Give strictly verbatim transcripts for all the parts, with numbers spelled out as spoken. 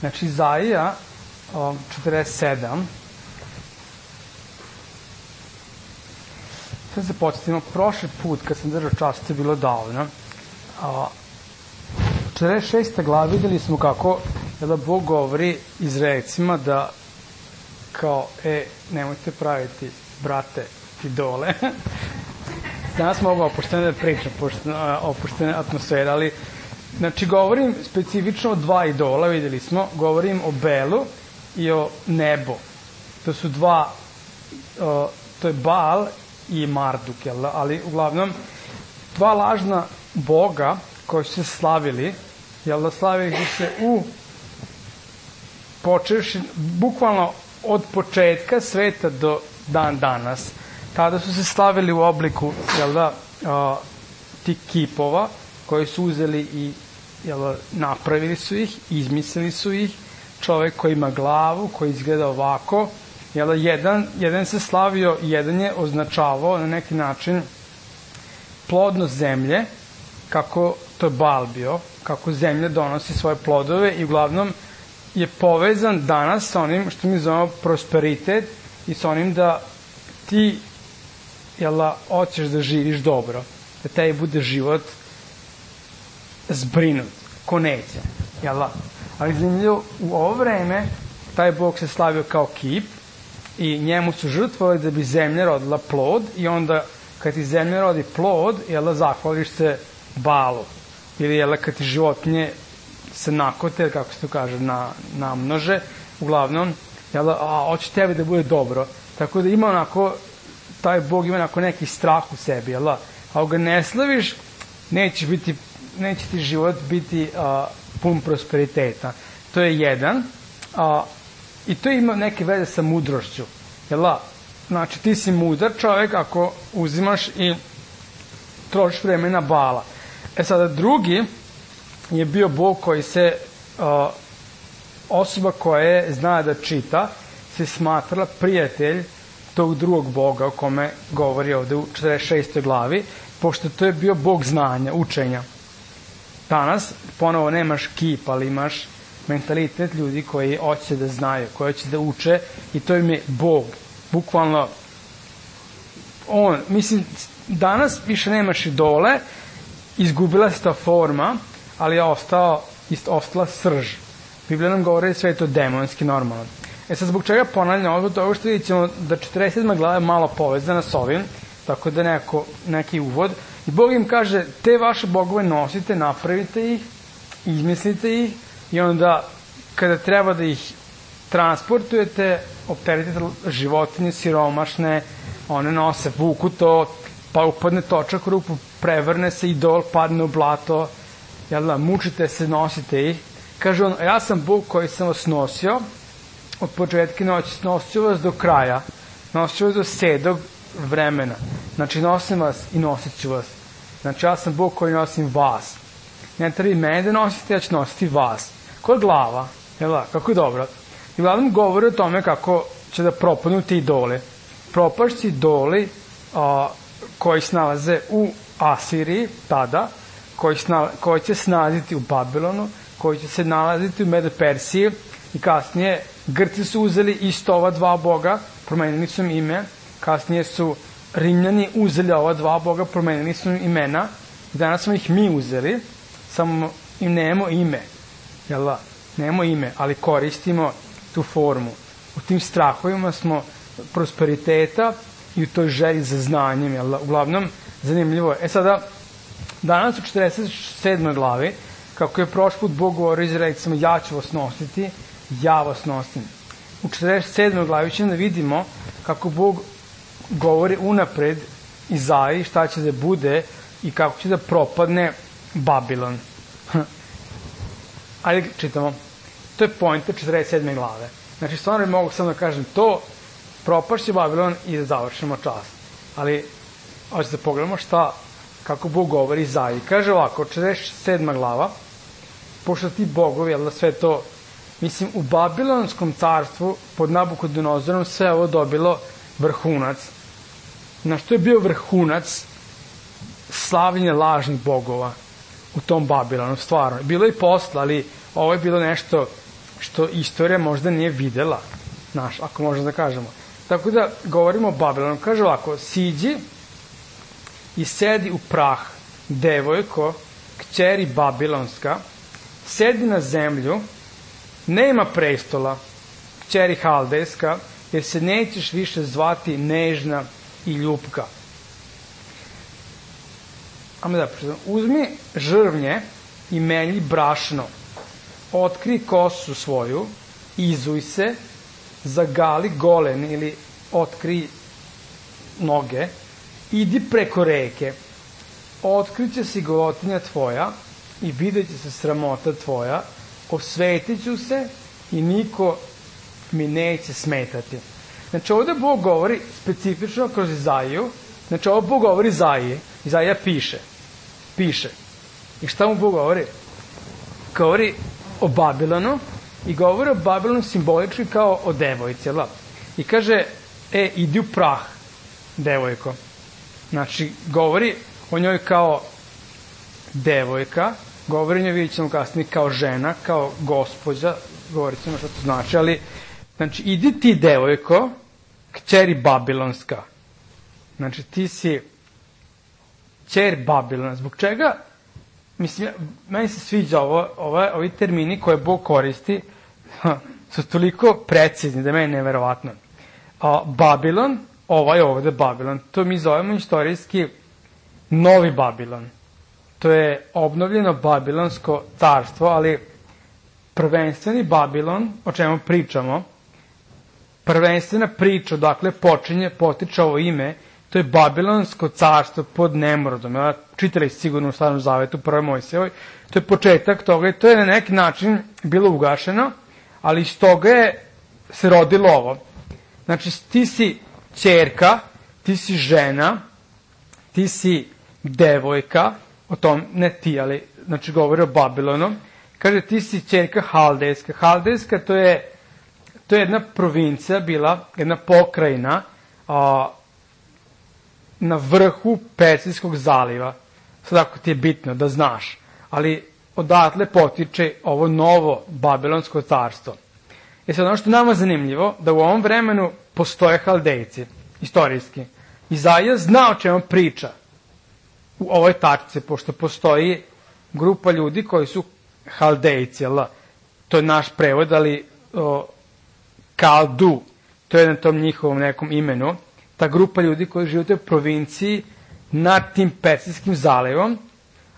Znači, Izaija četrdeset sedam. Sad se podsjetimo, prošli put kad sam držao čas, to je bilo davno. U četrdeset šestoj glavi videli smo kako da Bog govori Izraelcima da kao, e, nemojte praviti, brate, idole. Danas mogu opuštene da pričam, opuštene atmosfere, ali znači govorim specifično o dva idola, videli smo, govorim o Belu i o nebo. To su dva, o, to je Baal i Marduk, jel da? Ali uglavnom dva lažna boga koji su se slavili, jel da, slavili su se u počeši, bukvalno od početka sveta do dan danas. Tada su se slavili u obliku, jel da, a, tih kipova koji su uzeli i, jel da, napravili su ih, izmislili su ih, čovek koji ima glavu, koji izgleda ovako, jel da, jedan, jedan se slavio, jedan je označavao na neki način plodnost zemlje, kako to je Baal bio, kako zemlja donosi svoje plodove i uglavnom je povezan danas sa onim što mi zovemo prosperitet i sa onim da ti, jel da, hoćeš da živiš dobro, da tebi bude život zbrinut, ko neće, jel da? Ali zanimljivo, u ovo vreme taj Bog se slavio kao kip i njemu su žrtvovali da bi zemlja rodila plod i onda kad ti zemlja rodi plod, jel da, zahvališ se Baalu. Ili, jel da, kad ti životinje se nakote, kako se to kaže, na, namnože, uglavnom, jel da, a, hoće tebi da bude dobro. Tako da ima onako, taj Bog ima onako neki strah u sebi, jel da? Ako ga ne slaviš, neće biti, neće ti život biti a, pun prosperiteta. To je jedan. A, I to ima neke veze sa mudrošću. Jel da? Znači, ti si mudar čovek ako uzimaš i trošiš vreme na Baala. E sada, drugi je bio Bog koji se, a, osoba koja je zna da čita, se smatrala prijatelj tog drugog Boga o kome govori ovde u četrdeset šestoj glavi, pošto to je bio Bog znanja, učenja. Danas ponovo nemaš kip, ali imaš mentalitet ljudi koji hoće da znaju, koji hoće da uče i to im je Bog. Bukvalno, on, mislim, danas više nemaš idole, izgubila se ta forma, ali je ostao, ostala srž. Biblija nam govori da sve je to demonski normalno. E sad, zbog čega ponavljam ovo, to što vidit ćemo da četrdeset sedma glava je malo povezana s ovim, tako da neko, neki uvod. I Bog im kaže, te vaše bogove nosite, napravite ih, izmislite ih i onda kada treba da ih transportujete, opteretite životinje, siromašne, one nose, vuku to, pa upadne točak u rupu, prevrne se, idol padne u blato, jel da, mučite se, nosite ih. Kaže on, ja sam Bog koji sam vas nosio, od početka noći nosio vas do kraja, nosio vas do sedog vremena. Znači, nosim vas i nosit ću vas. Znači, ja sam Bog koji nosim vas. Ne treba mene da nosite, ja ću nositi vas. Ko je glava? Jel da? Kako je dobro? I uglavnom govori o tome kako će da propadnu ti idole. Propašći idoli a, koji se nalaze u Asiriji, tada, koji, snala, koji će se nalaziti u Babilonu, koji će se nalaziti u Medo-Persiji i kasnije Grci su uzeli isto ova dva boga, promenili su im ime, kasnije su Rimljani uzeli ova dva boga, promenili su im imena i danas smo ih mi uzeli, samo im nemamo ime, jel da? Nemamo ime, ali koristimo tu formu. U tim strahovima smo prosperiteta i u toj želji za znanjem, jel da? Uglavnom, zanimljivo je. E sada, danas u četrdeset sedmoj glavi, kako je prošli put Bog govorio Izraelcima, ja ću vas nositi, ja vas nosim. U četrdeset sedmoj glavi ćemo da vidimo kako Bog govori unapred Izaiji šta će da bude i kako će da propadne Babilon. Ajde čitamo. To je pointa četrdeset sedme glave. Znači, stvarno mogu samo da kažem to, propašće Babilon i da završimo čas. Ali, hoćete da pogledamo šta, kako Bog govori Izaiji. Kaže ovako, četrdeset sedma glava, pošto ti bogovi, jel da sve to, mislim, u Babilonskom carstvu pod Nabukodonozorom sve ovo dobilo vrhunac. Na što je bio vrhunac slavljenje lažnih bogova u tom Babilonu, stvarno. Bilo je i posla, ali ovo je bilo nešto što istorija možda nije videla, znaš, ako možemo da kažemo. Tako da govorimo o Babilonu. Kaže ovako, siđi i sedi u prah, devojko, kćeri Babilonska, sedi na zemlju, nema prestola, kćeri Haldejska, jer se nećeš više zvati nežna i ljupka. Ajmo da pričam. Uzmi žrvnje i melji brašno, otkri kosu svoju, izuj se, zagali golen ili otkri noge, idi preko reke, otkriće si golotinja tvoja i vidjet će se sramota tvoja, osvetit ću se i niko mi neće smetati. Znači ovde Bog govori specifično kroz Izaiju, znači ovo Bog govori Izaiji, Izaija piše, piše. I šta mu Bog govori? Govori o Babilonu i govori o Babilonu simbolički kao o devojci, jel da? I kaže, e, idi u prah, devojko. Znači, govori o njoj kao devojka, govori o njoj, vidjet ćemo kasnije, kao žena, kao gospođa, govorit ćemo što to znači, ali, znači, idi ti, devojko, kćeri Babilonska. Znači, ti si kćer Babilona. Zbog čega? Mislim, meni se sviđa ovo, ovo, ovi termini koje Bog koristi, su toliko precizni da je meni neverovatno. A Babilon, ovaj ovde Babilon, to mi zovemo istorijski Novi Babilon. To je obnovljeno Babilonsko carstvo, ali prvenstveni Babilon, o čemu pričamo, prvenstvena priča, dakle, počinje, potiče ovo ime, to je Babilonsko carstvo pod Nemrodom. Ja čitali sigurno u Starom zavetu, prvoj Mojsijevoj. To je početak toga i to je na neki način bilo ugašeno, ali iz toga je se rodilo ovo. Znači, ti si ćerka, ti si žena, ti si devojka, o tom, ne ti, ali, znači, govori o Babilonu. Kaže, ti si ćerka Haldejska. Haldejska, to je, to je jedna provincija bila, jedna pokrajina, a, na vrhu Persijskog zaliva. Sad ako ti je bitno da znaš. Ali odatle potiče ovo novo Babilonsko carstvo. I sad ono što je nama zanimljivo, da u ovom vremenu postoje Haldejci, istorijski. Izaija zna o čemu priča u ovoj tačci, pošto postoji grupa ljudi koji su Haldejci, jel da? To je naš prevod, ali o, Kaldu, to je na tom njihovom nekom imenu, ta grupa ljudi koji žive u toj provinciji nad tim Persijskim zalivom,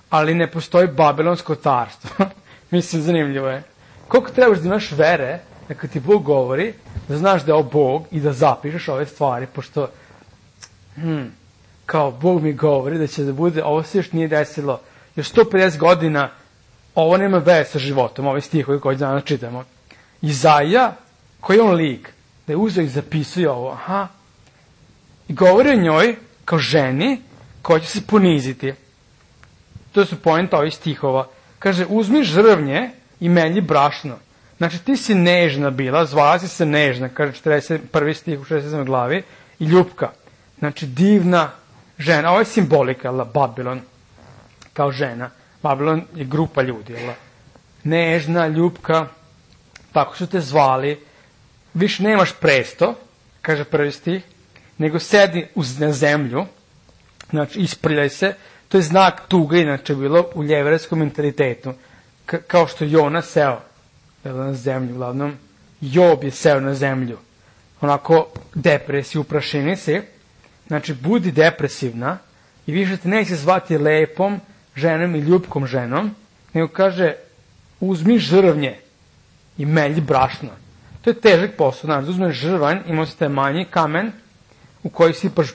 ali ne postoji Babilonsko carstvo. Mislim, zanimljivo je. Koliko trebaš da imaš vere, da kad ti Bog govori, da znaš da je ovo Bog i da zapišeš ove stvari, pošto, hmm, kao Bog mi govori da će da bude, ovo se još nije desilo, još sto pedeset godina, ovo nema veze sa životom, ove stihovi koji danas čitamo. Izaija, koji je on lik, da je uzeo i zapisuje ovo, aha, i govori o njoj kao ženi koja će se poniziti. To su poenta ovih stihova. Kaže, uzmi žrvnje i melji brašno. Znači, ti si nežna bila, zvala si se nežna, kaže četrdeset prvi stih u šesdeset sedmoj glavi, i ljupka. Znači, divna žena. Ovo je simbolika, jel, Babilon, kao žena. Babilon je grupa ljudi, jel, nežna, ljupka, tako su te zvali. Više nemaš presto, kaže prvi stih, nego sedi uz, na zemlju, znači isprljaj se, to je znak tuge, inače bilo u jevrejskom mentalitetu, K- kao što Jona seo na zemlju, uglavnom Job je seo na zemlju, onako depresiju, u prašini si, znači budi depresivna i više te neće zvati lepom ženom i ljupkom ženom, nego kaže uzmi žrvnje i melji brašno. To je težak posao, znači uzmeš žrvanj, ima se taj manji kamen u koji sipaš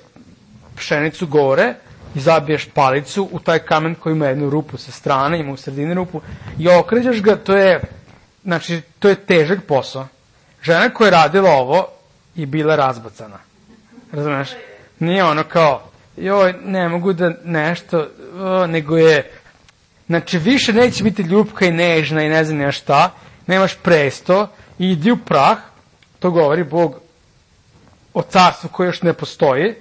pšenicu gore i zabiješ palicu u taj kamen koji ima jednu rupu sa strane, ima u sredini rupu i okrećeš ga, to je, znači, to je težak posao. Žena koja je radila ovo je bila razbacana. Razumeš? Nije ono kao, joj, ne mogu da nešto, o, nego je, znači, više neće biti ljupka i nežna i ne znam ne šta, nemaš presto, idi u prah, to govori Bog o carstvu koje još ne postoji,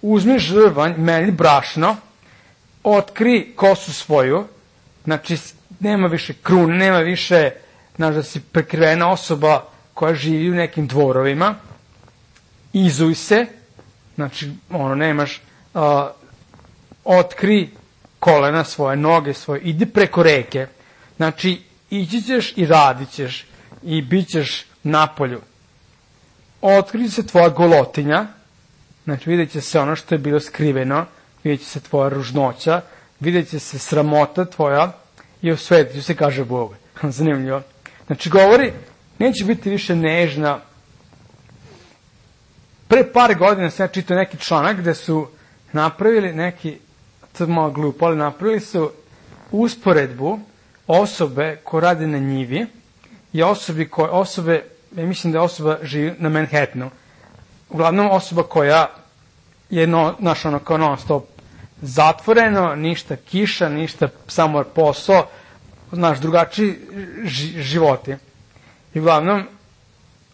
uzmi žrvanj, melji brašno, otkri kosu svoju, znači nema više krune, nema više znaš, da si prekrivena osoba koja živi u nekim dvorovima, izuj se, znači, ono, nemaš, uh, otkri kolena svoje, noge svoje, idi preko reke, znači, ići ćeš i radit ćeš i bit ćeš napolju. Otkri se tvoja golotinja, znači, vidjet će se ono što je bilo skriveno, vidjet će se tvoja ružnoća, vidjet će se sramota tvoja i osvetit će se, kaže Bog. Zanimljivo. Znači, govori, neće biti više nežna. Pre par godina sam ja čitao neki članak gde su napravili neki, to je malo glupo, ali napravili su usporedbu osobe ko radi na njivi i osobi koje, osobe, ja mislim da je osoba živi na Manhattanu. Uglavnom osoba koja je, no, znaš, ono, kao non stop zatvoreno, ništa kiša, ništa samo posao, znaš, drugačiji životi. I uglavnom,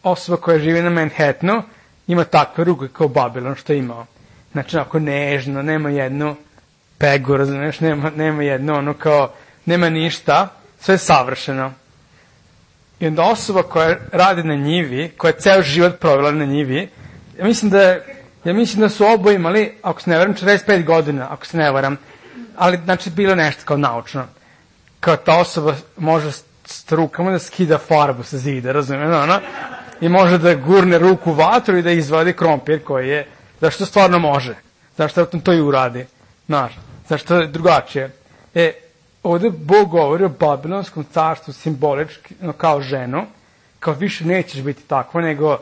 osoba koja živi na Manhattanu ima takve ruke kao Babilon što je imao. Znači, onako nežno, nema jednu pegu, razumiješ, nema, nema jedno, ono kao, nema ništa, sve je savršeno. I onda osoba koja radi na njivi, koja je ceo život provela na njivi, ja mislim da, ja mislim da su oboje imali, ako se ne varam, četrdeset pet godina, ako se ne varam, ali, znači, bilo nešto kao naučno. Kao ta osoba može s rukama da skida farbu sa zida, razumiješ, ono, i može da gurne ruku u vatru i da izvadi krompir koji je, zašto stvarno može, zašto to i uradi, znaš, zašto je drugačije. E, ovde Bog govori o Babilonskom carstvu simbolički, no, kao ženu, kao više nećeš biti takva, nego,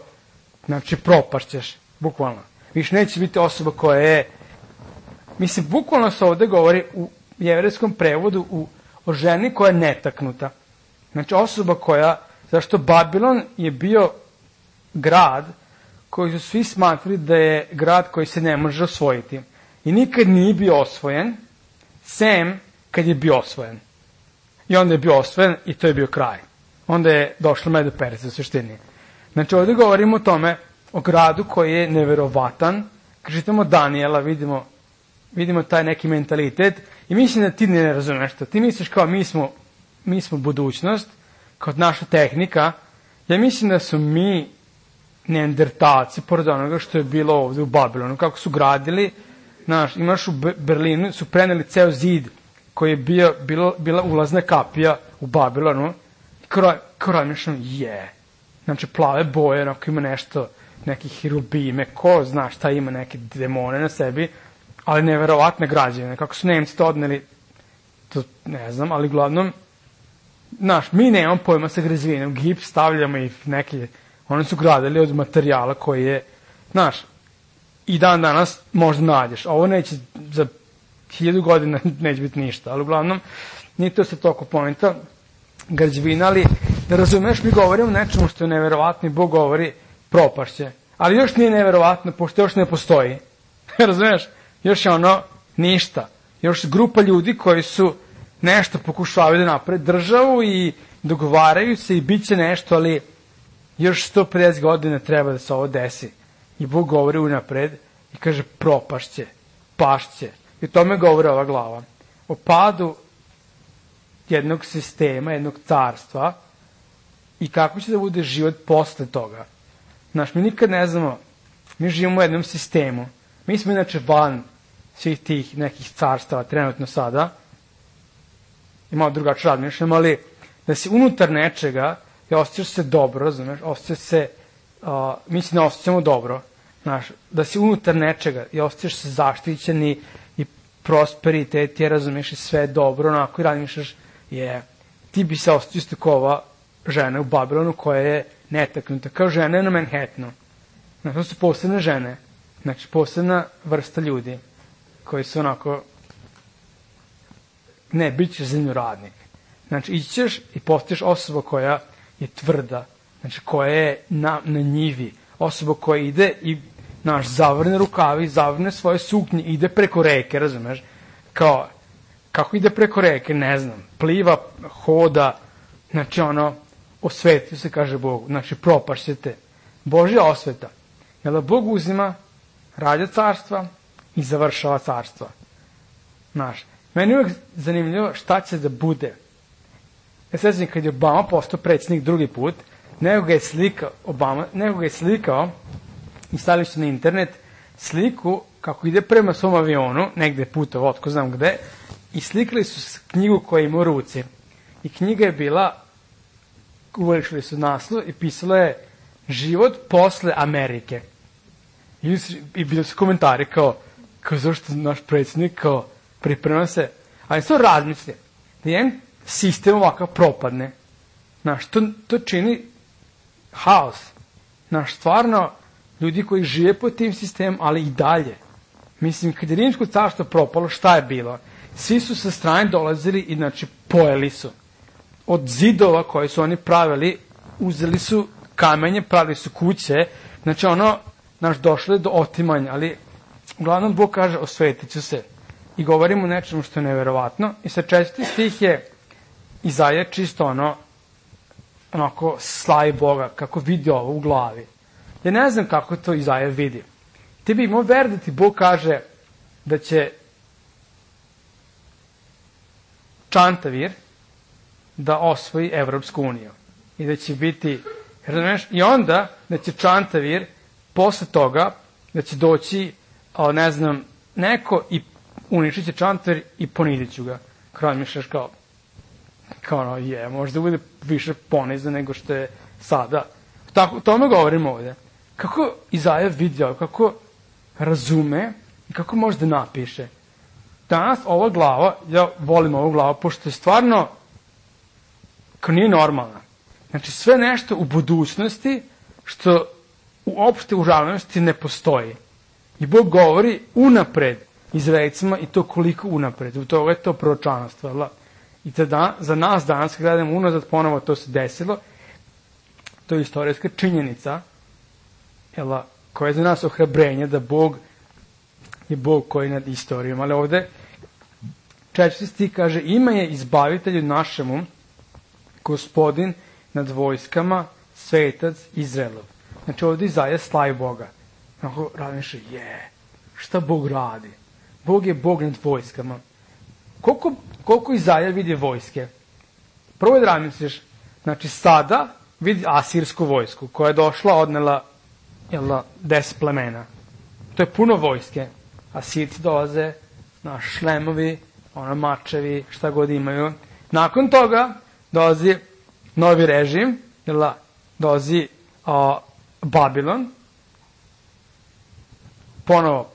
znači, propašćeš, bukvalno. Više nećeš biti osoba koja je, mislim, bukvalno se ovde govori u jevrejskom prevodu u, o ženi koja je netaknuta. Znači, osoba koja, zašto Babilon je bio grad koji su svi smatrali da je grad koji se ne može osvojiti. I nikad nije bio osvojen, sem kad je bio osvojen. I onda je bio osvojen i to je bio kraj. Onda je došla Medo Persa u suštini. Znači, ovdje govorimo o tome, o gradu koji je neverovatan. Kad čitamo Danijela, vidimo, vidimo taj neki mentalitet i mislim da ti ne razumeš to. Ti misliš kao mi smo, mi smo budućnost, kao naša tehnika. Ja mislim da su mi neandertalci, pored onoga što je bilo ovde u Babilonu, kako su gradili, znaš, imaš u Berlinu, su preneli ceo zid koji je bio, bilo, bila ulazna kapija u Babilonu, i kao razmišljam, je, znači plave boje, onako ima nešto, neki hirubime, ko zna šta ima, neke demone na sebi, ali neverovatne građevine, kako su Nemci to odneli, to ne znam, ali uglavnom, znaš, mi nemamo pojma sa građevinom, gips stavljamo i neke, oni su gradili od materijala koji je, znaš, i dan danas možda nađeš. Ovo neće, za hiljadu godina neće biti ništa, ali uglavnom, nije to se toliko pominta građevina, ali da razumeš, mi govorimo o nečemu što je neverovatno i Bog govori propašće. Ali još nije neverovatno, pošto još ne postoji. Razumeš? Još je ono ništa. Još grupa ljudi koji su nešto pokušavaju da naprave državu i dogovaraju se i bit će nešto, ali još sto pedeset godina treba da se ovo desi. I Bog govori unapred i kaže propašće, pašće. I o tome govori ova glava. O padu jednog sistema, jednog carstva i kako će da bude život posle toga. Znaš, mi nikad ne znamo, mi živimo u jednom sistemu. Mi smo inače van svih tih nekih carstava trenutno sada. I malo drugače razmišljamo, ali da si unutar nečega i osjećaš se dobro, znaš, osjećaš se, uh, mislim da osjećamo dobro, znaš, da si unutar nečega i osjećaš se zaštićeni i prosperitet, je, razumiješ, i sve dobro, onako i razmišljaš, je, ti bi se osjećao isto kao ova žena u Babilonu koja je netaknuta, kao žena na Manhattanu. Znači, to su posebne žene, znači, posebna vrsta ljudi koji su onako, ne, bit ćeš zemljoradnik. Znači, ići ćeš i postaješ osoba koja je tvrda, znači, koja je na, na njivi, osoba koja ide i, znaš, zavrne rukavi, zavrne svoje suknje, ide preko reke, razumeš? Kao, kako ide preko reke, ne znam, pliva, hoda, znači, ono, osvetio se, kaže Bog, znači, propašćete. Božja osveta. Jer da Bog uzima, rađa carstva i završava carstva. Znaš, meni je uvijek zanimljivo šta će da bude Ja sećam kad je Obama postao predsjednik drugi put, nego ga je slikao, Obama, nego ga je slikao i stavili su na internet sliku kako ide prema svom avionu, negde putovao, otko znam gde, i slikali su knjigu koja ima u ruci. I knjiga je bila, uvelišili su naslov i pisalo je Život posle Amerike. I, i bili su komentari kao, kao zašto naš predsjednik kao priprema se, ali to razmisli, da jedan sistem ovakav propadne, znaš, to, to čini haos. Znaš, stvarno, ljudi koji žive po tim sistemom, ali i dalje. Mislim, kad je Rimsko carstvo propalo, šta je bilo? Svi su sa strane dolazili i, znači, pojeli su. Od zidova koje su oni pravili, uzeli su kamenje, pravili su kuće, znači, ono, znaš, došlo je do otimanja, ali, uglavnom, Bog kaže, osvetit ću se. I govorimo o nečemu što je neverovatno. I sa četvrti stih je Izaja čisto ono, onako, slavi Boga, kako vidi ovo u glavi. Ja ne znam kako to Izaja vidi. Ti bi imao ver da ti Bog kaže da će Čantavir da osvoji Evropsku uniju. I da će biti, razumiješ, i onda da će Čantavir posle toga, da će doći, ne znam, neko i uništit će Čantavir i ponizit ću ga. Kao mišljaš kao, kao ono, je, možda bude više ponizan nego što je sada. Tako, tome govorimo ovdje. Kako Izaja vidio, kako razume i kako može da napiše. Danas ova glava, ja volim ovu glavu, pošto je stvarno kao nije normalna. Znači sve nešto u budućnosti što uopšte u realnosti ne postoji. I Bog govori unapred Izraelcima i to koliko unapred. U toga je to proročanstvo. I tada, za nas danas, kad gledamo unazad, ponovo to se desilo. To je istorijska činjenica, jela, koja je za nas ohrabrenje da Bog je Bog koji je nad istorijom. Ali ovde četvrti stih kaže, ime je izbavitelju našemu, Gospodin nad vojskama, svetac Izraelov. Znači ovde Izaja slavi Boga. Onako razmišlja, je, šta Bog radi? Bog je Bog nad vojskama. Koliko, koliko Izaja vidi vojske? Prvo je da razmisliš, znači sada vidi asirsku vojsku koja je došla, odnela jela, deset plemena. To je puno vojske. Asirci dolaze, na šlemovi, ono mačevi, šta god imaju. Nakon toga dolazi novi režim, jela, dolazi a, Babilon, ponovo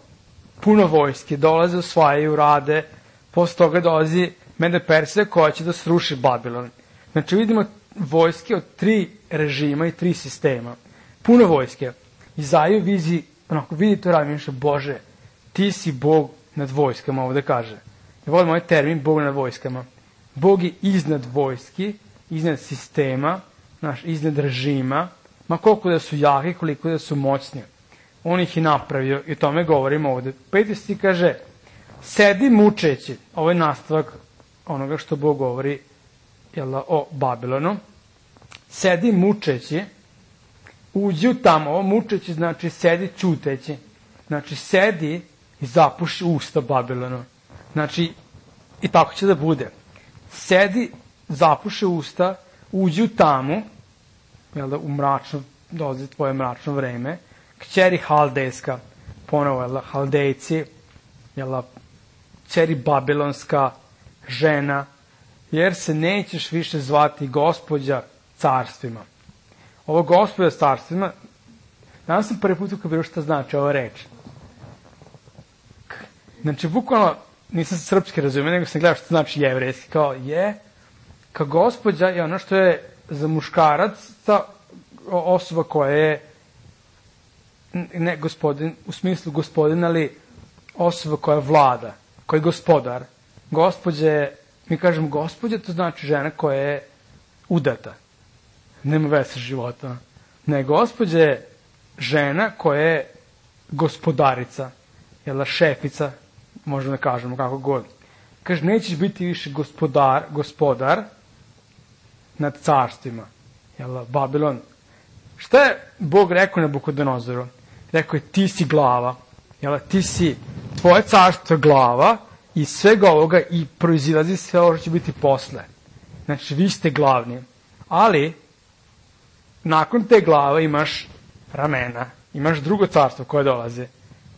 puno vojske, dolaze, osvajaju, rade, posle toga dolazi Mede Persija koja će da sruši Babilon. Znači vidimo vojske od tri režima i tri sistema. Puno vojske. Izaja vizi, onako vidi to radi, mišlja, Bože, ti si Bog nad vojskama, ovde kaže. Ja volim ovaj termin, Bog nad vojskama. Bog je iznad vojski, iznad sistema, naš, iznad režima, ma koliko da su jaki, koliko da su moćni. On ih je napravio i o tome govorimo ovde. Peti stih kaže, sedi mučeći, ovo je nastavak onoga što Bog govori jela, o Babilonu, sedi mučeći, uđi u tamo, ovo mučeći znači sedi ćuteći, znači sedi i zapuši usta Babilonu. Znači, i tako će da bude. Sedi, zapuši usta, uđi u tamu, jel da, u mračno, dolazi tvoje mračno vreme, kćeri Haldejska, ponovo, jel da, Haldejci, jel da, kćeri Babilonska, žena, jer se nećeš više zvati gospođa carstvima. Ovo gospođa carstvima, danas sam prvi put kako bilo šta znači ova reč. Znači, bukvalno, nisam srpski razumio, nego sam gledao što znači jevrejski, kao je, kao gospođa je ono što je za muškarac ta osoba koja je ne gospodin, u smislu gospodin, ali osoba koja vlada, koja je gospodar. Gospođa je, mi kažemo gospođa, to znači žena koja je udata. Nema veze sa životom. Ne, gospođa je žena koja je gospodarica, jel, šefica, možemo da kažemo kako god. Kaže, nećeš biti više gospodar, gospodar nad carstvima. Jel, Babilon. Šta je Bog rekao Nabukodonozoru? Rekao je, ti si glava. Jel, ti si, tvoje carstvo je glava i svega ovoga i proizilazi sve ovo što će biti posle. Znači, vi ste glavni. Ali, nakon te glave imaš ramena. Imaš drugo carstvo koje dolaze.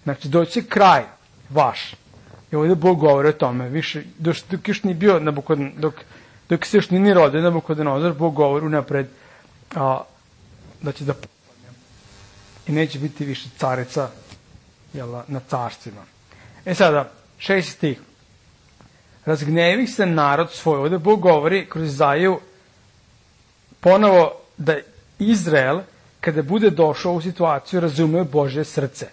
Znači, doći kraj vaš. I ovdje Bog govori o tome. Više, dok, dok još nije bio Nabukodon, dok, dok se još nije rodio Nabukodonozor, Bog govori unapred a, da će da popadne. I neće biti više carica jela, na carstvima. E sada, šesti stih. Razgnevi se narod svoj. Ovdje Bog govori kroz Izaiju ponovo da Izrael, kada bude došao u situaciju, razume Božje srce.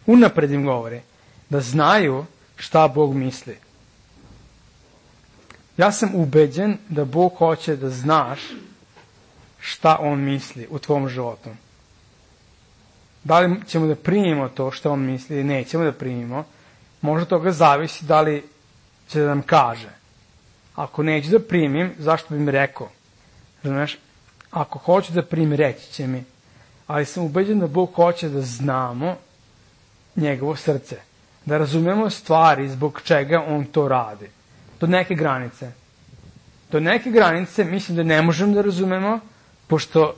Unapred im govori da znaju šta Bog misli. Ja sam ubeđen da Bog hoće da znaš šta On misli u tvom životu. Da li ćemo da primimo to što On misli ili nećemo da primimo, možda toga zavisi da li će da nam kaže. Ako neću da primim, zašto bi mi rekao? Znaš, ako hoću da primim, reći će mi. Ali sam ubeđen da Bog hoće da znamo njegovo srce. Da razumemo stvari zbog čega On to radi. Do neke granice. Do neke granice mislim da ne možemo da razumemo, pošto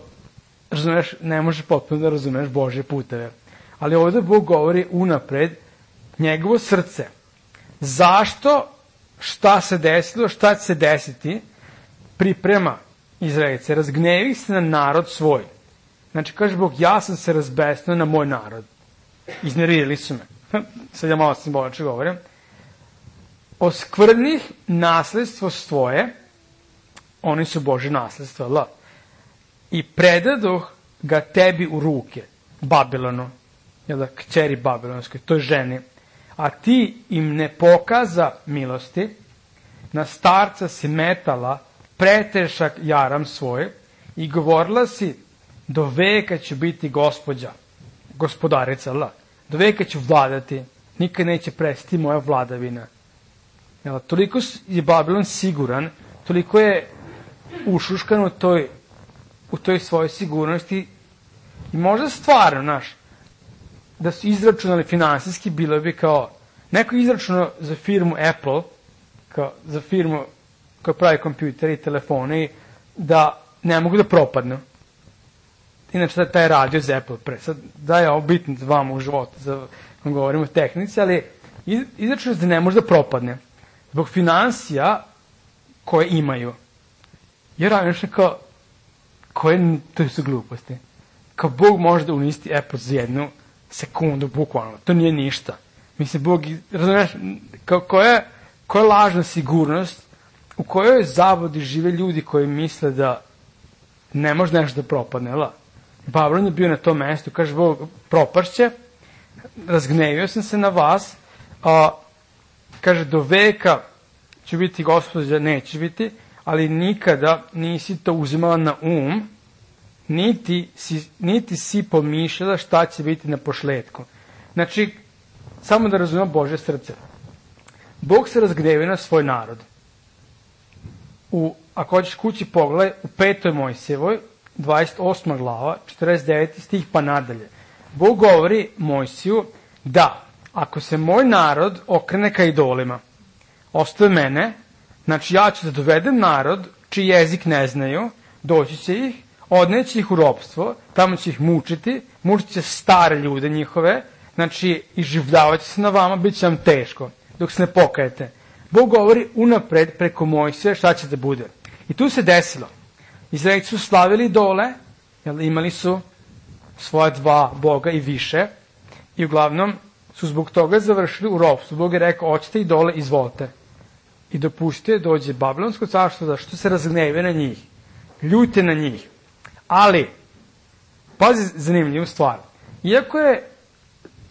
razumeš, ne možeš potpuno da razumeš Božje puteve. Ali ovdje Bog govori unapred njegovo srce. Zašto, šta se desilo, šta će se desiti, priprema Izraelice. Razgnevi se na narod svoj. Znači, kaže Bog, ja sam se razbesnio na moj narod. Iznervirali su me. Sad ja malo simbolično govorim. Oskvrnih nasledstvo svoje, oni su Božje nasledstvo, la. I predadoh ga tebi u ruke, Babilonu, jel da, kćeri Babilonskoj, toj ženi, a ti im ne pokaza milosti, na starca si metala pretešak jaram svoj i govorila si, do veka ću biti gospođa, gospodarica, la. Do veka ću vladati, nikad neće prestati moja vladavina. Jel, toliko je Babilon siguran, toliko je ušuškan u toj, u toj svojoj sigurnosti i možda stvarno, znaš, da su izračunali finansijski, bilo bi kao, neko izračunao za firmu Apple, kao za firmu koja pravi kompjutere i telefone, da ne mogu da propadnu. Inače, taj radio za Apple pre. Sad, da je ovo bitno za vama u životu, za vam govorimo o tehnici, ali izračunao da ne može da propadne. Zbog finansija koje imaju. Jer radnično kao, koje to su gluposti. Kao Bog može da uništi Apple za jednu sekundu, bukvalno. To nije ništa. Mislim, Bog, razumiješ, kao koja, koja lažna sigurnost u kojoj zavodi žive ljudi koji misle da ne može nešto da propadne, la. Babilon je bio na tom mestu, kaže Bog, propašće, razgnevio sam se na vas, a, kaže, do veka će biti gospođa, neće biti, ali nikada nisi to uzimala na um, niti si, niti si pomišljala šta će biti na pošletku. Znači, samo da razumemo Božje srce. Bog se razgnevio na svoj narod. U, ako hoćeš kući pogledaj, u petoj Mojsijevoj, dvadeset osma glava, četrdeset deveti stih pa nadalje. Bog govori Mojsiju da, ako se moj narod okrene ka idolima, ostaje mene, znači ja ću da dovedem narod čiji jezik ne znaju, doći će ih, odneći ih u ropstvo, tamo će ih mučiti, mučit će stare ljude njihove, znači iživljavat će se na vama, bit će vam teško, dok se ne pokajete. Bog govori unapred preko Mojsija šta će da bude. I tu se desilo. Izraelci su slavili idole, jel, imali su svoja dva boga i više, i uglavnom su zbog toga završili u ropstvu. Bog je rekao, hoćete idole, izvolite. I dopustite, dođe Babilonsko carstvo, da što se razgneve na njih, ljute na njih. Ali, pazi zanimljivu stvar, iako je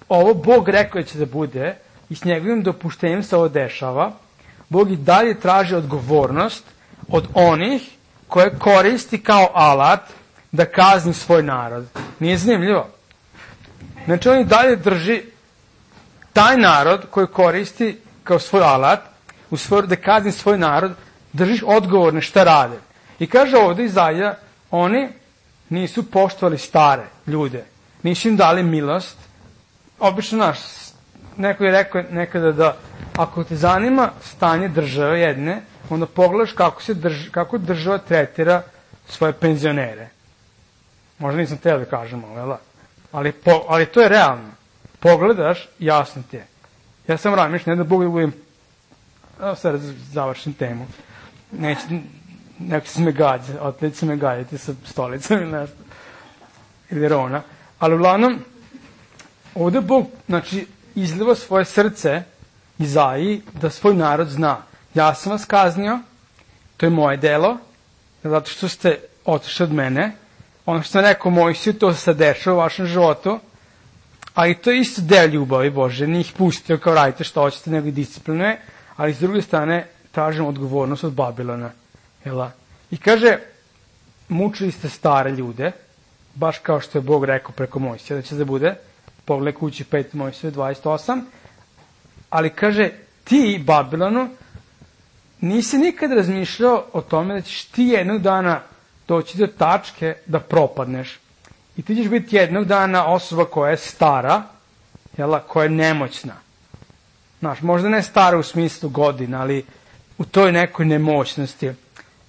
ovo Bog rekao da će da bude, i s njegovim dopuštenjem se ovo dešava, Bog i dalje traži odgovornost od onih koje koristi kao alat da kazni svoj narod. Nije zanimljivo? Znači, on i dalje drži taj narod koji koristi kao svoj alat, u svoj, da kazni svoj narod, držiš odgovorne šta rade. I kaže ovdje Izaija, oni nisu poštovali stare ljude, nisu im dali milost. Obično, naš, neko je rekao nekada da ako te zanima stanje države jedne, onda pogledaš kako, se drž, kako država tretira svoje penzionere. Možda nisam teo da kažem ovo, ali, po, ali to je realno. Pogledaš, jasno ti je. Ja sam razmišljam, ne da Bog da budem, evo sad završim temu, neće, neko se me gađa, otlet se me gađati sa stolicom ili nešto, ili Rona, ali uglavnom, ovde Bog, znači, izliva svoje srce Izaiji da svoj narod zna. Ja sam vas kaznio, to je moje delo, zato što ste otišli od mene, ono što sam rekao Mojsiju, to se dešava u vašem životu, ali to je isto deo ljubavi Bože, nije ih pustio kao radite što hoćete, nego i disciplinuje, ali s druge strane tražimo odgovornost od Babilona. Jela? I kaže, mučili ste stare ljude, baš kao što je Bog rekao preko Mojsija da će da bude, pogledaj kući pet Mojsije dvadeset osam, ali kaže, ti, Babilonu, nisi nikad razmišljao o tome da ćeš ti jednog dana doći do tačke da propadneš. I ti ćeš biti jednog dana osoba koja je stara, jela, koja je nemoćna. Znaš, možda ne stara u smislu godina, ali u toj nekoj nemoćnosti.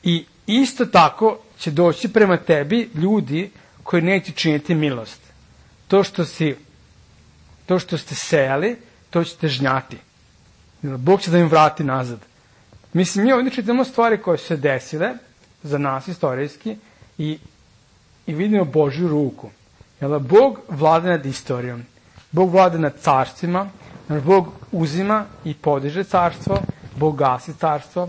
I isto tako će doći prema tebi ljudi koji neće činiti milost. To što si, to što ste sejali, to ćete žnjati. Bog će da im vrati nazad. Mislim, mi ovdje čitamo stvari koje su se desile za nas istorijski i, i vidimo Božju ruku. Jel, Bog vlada nad istorijom. Bog vlada nad carstvima. Bog uzima i podiže carstvo. Bog gasi carstvo.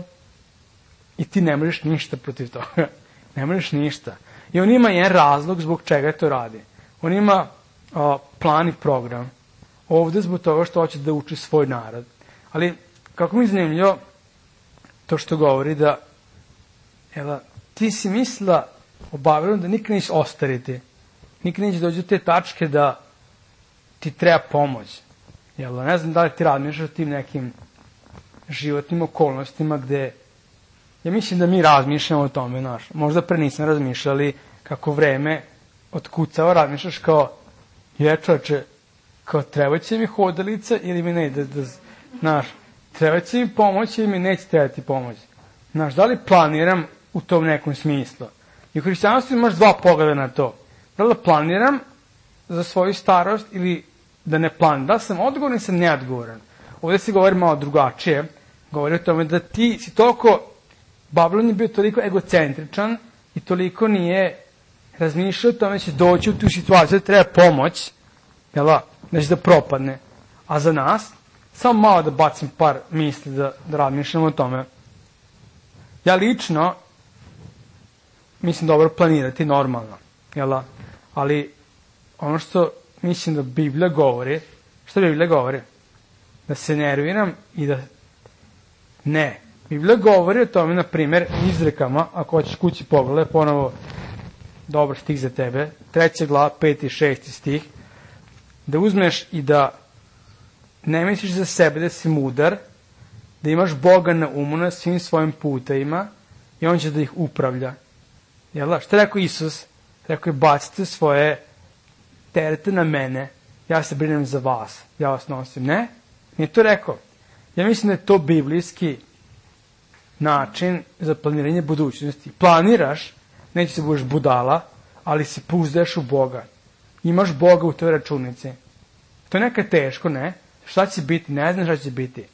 I ti ne možeš ništa protiv toga. Ne možeš ništa. I on ima jedan razlog zbog čega to radi. On ima o, plan i program. Ovde zbog toga što hoće da uči svoj narod. Ali, kako mi je zanimljivo, to što govori da, jela, ti si mislila o Babilonu da nikad neće ostariti. Nikad neće doći do te tačke da ti treba pomoć. Jela, ne znam da li ti razmišljaš o tim nekim životnim okolnostima gde, ja mislim da mi razmišljamo o tome, znaš. Možda pre nisam razmišljali kako vreme otkucava, razmišljaš kao, je čoveče, kao treba će mi hodalica ili mi ne, da, da, znaš, treba će mi pomoć ili mi neće trebati pomoć. Znaš, da li planiram u tom nekom smislu? I u hrišćanstvu imaš dva pogleda na to. Da li planiram za svoju starost ili da ne planiram? Da li sam odgovoran ili sam neodgovoran? Ovdje se govori malo drugačije. Govori o tome da ti si toliko, Babilon je bio toliko egocentričan i toliko nije razmišljao o tome da će doći u tu situaciju da treba pomoć, jel, da će da propadne. A za nas, samo malo da bacim par misli da, da razmišljamo o tome. Ja lično mislim dobro planirati normalno, jel? Ali ono što mislim da Biblija govori, što Biblija govori? Da se nerviram i da ne. Biblija govori o tome, na primjer, izrekama, ako hoćeš kući pogledaj, ponovo dobar stih za tebe, treća glava, peti i šesti stih, da uzmeš i da ne misliš za sebe da si mudar, da imaš Boga na umu na svim svojim putevima i on će da ih upravlja. Jel' što je rekao Isus? Rekao je, bacite svoje terete na mene, ja se brinem za vas, ja vas nosim. Ne, nije to rekao. Ja mislim da je to biblijski način za planiranje budućnosti. Planiraš, neće se budeš budala, ali se pouzdaješ u Boga. Imaš Boga u toj računici. To je nekad teško, ne? Šta će biti? Ne znam šta će biti.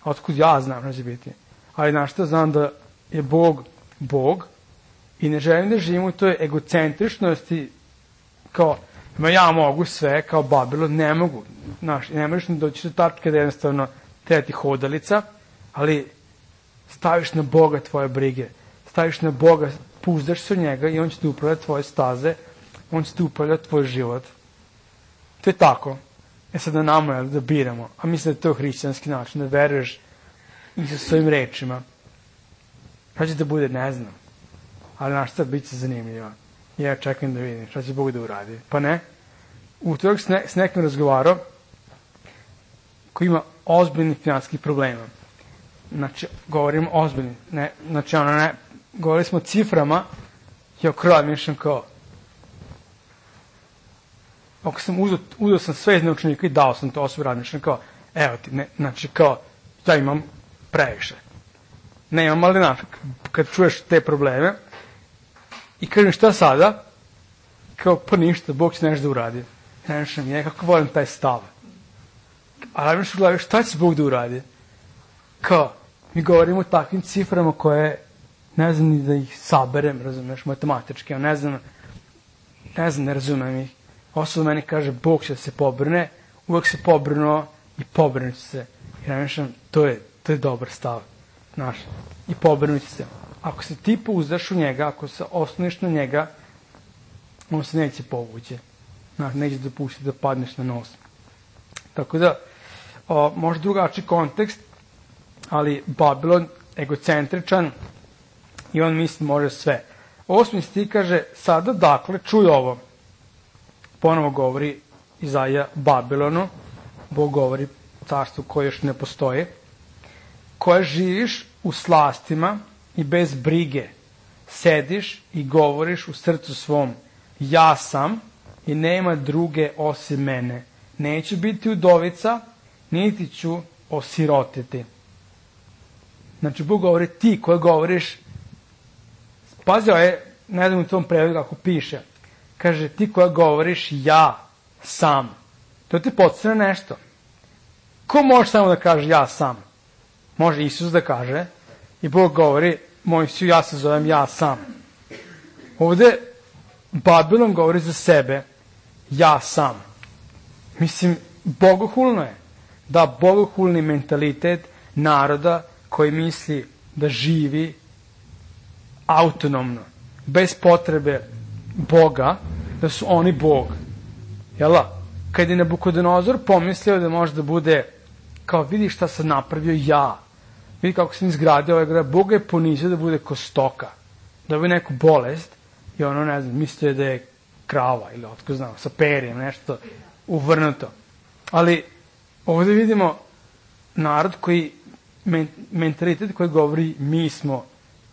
A otkud ja znam šta će biti. Ali znaš što, znam da je Bog Bog i ne želim da živim u toj egocentričnosti kao, ma ja mogu sve, kao Babilon, ne mogu. Znaš, ne možeš ni doći do tačke da jednostavno treba ti hodalica, ali staviš na Boga tvoje brige. Staviš na Boga, puzdaš se u njega i on će ti upravljati tvoje staze, on će ti upravljati tvoj život. To je tako. E sad na nama je da biramo. A mislim da je to hrišćanski način, da veruješ i sa svojim rečima. Šta će da bude, ne znam. Ali znaš šta, bit će zanimljivo. Ja čekam da vidim šta će Bog da uradi. Pa ne. Utorak s, ne, s nekim razgovarao koji ima ozbiljnih finanskih problema. Znači, govorim ozbiljni. Ne, znači, ono ne, govorili smo o ciframa i o kraju mišljam kao ako sam uzeo, uzeo sam sve iz naučnika i dao sam to osobi razmišljam kao, evo ti, ne, znači kao, ja imam previše. Nemam, ali znaš, kad čuješ te probleme i kažem šta sada, kao pa ništa, Bog će nešto da uradi. Ja nešto mi je, kako volim taj stav. A razmišljaš u glavi, šta će Bog da uradi? Kao, mi govorimo o takvim ciframa koje ne znam ni da ih saberem, razumeš, matematički, ne znam, ne znam, ne razumem ih. Osoba meni kaže, Bog će se pobrne, uvek se pobrnuo i pobrnut će se. I razmišljam, to je, to je dobar stav, znaš, i pobrnut će se. Ako se ti pouzdaš u njega, ako se osloniš na njega, on se neće povući. Znaš, neće dopustiti da padneš na nos. Tako da, o, možda drugačiji kontekst, ali Babilon egocentričan i on misli može sve. Osmi stih kaže, sada dakle, čuj ovo. Ponovo govori Izaija Babilonu, Bog govori carstvu koje još ne postoje, koje živiš u slastima i bez brige, sediš i govoriš u srcu svom, ja sam i nema druge osim mene. Neću biti udovica, niti ću osirotiti. Znači, Bog govori ti koji govoriš, pazi, ovo je, ne znam u tom prevodu kako piše, kaže ti koji govoriš ja sam. To ti podsjeća nešto. Ko može samo da kaže ja sam? Može Isus da kaže i Bog govori, moj si, ja se zovem ja sam. Ovde Babilon govori za sebe, ja sam. Mislim, bogohulno je. Da, bogohulni mentalitet naroda koji misli da živi autonomno, bez potrebe Boga, da su oni Bog. Jela? Kad je Nabukodonozor pomislio da može da bude, kao vidi šta sam napravio ja, vidi kako sam izgradio ovaj grad, Boga je ponizio da bude ko stoka, da bi neku bolest i ono, ne znam, mislio da je krava ili otko znam, sa perijem, nešto uvrnuto. Ali ovdje vidimo narod koji, men, mentalitet koji govori mi smo,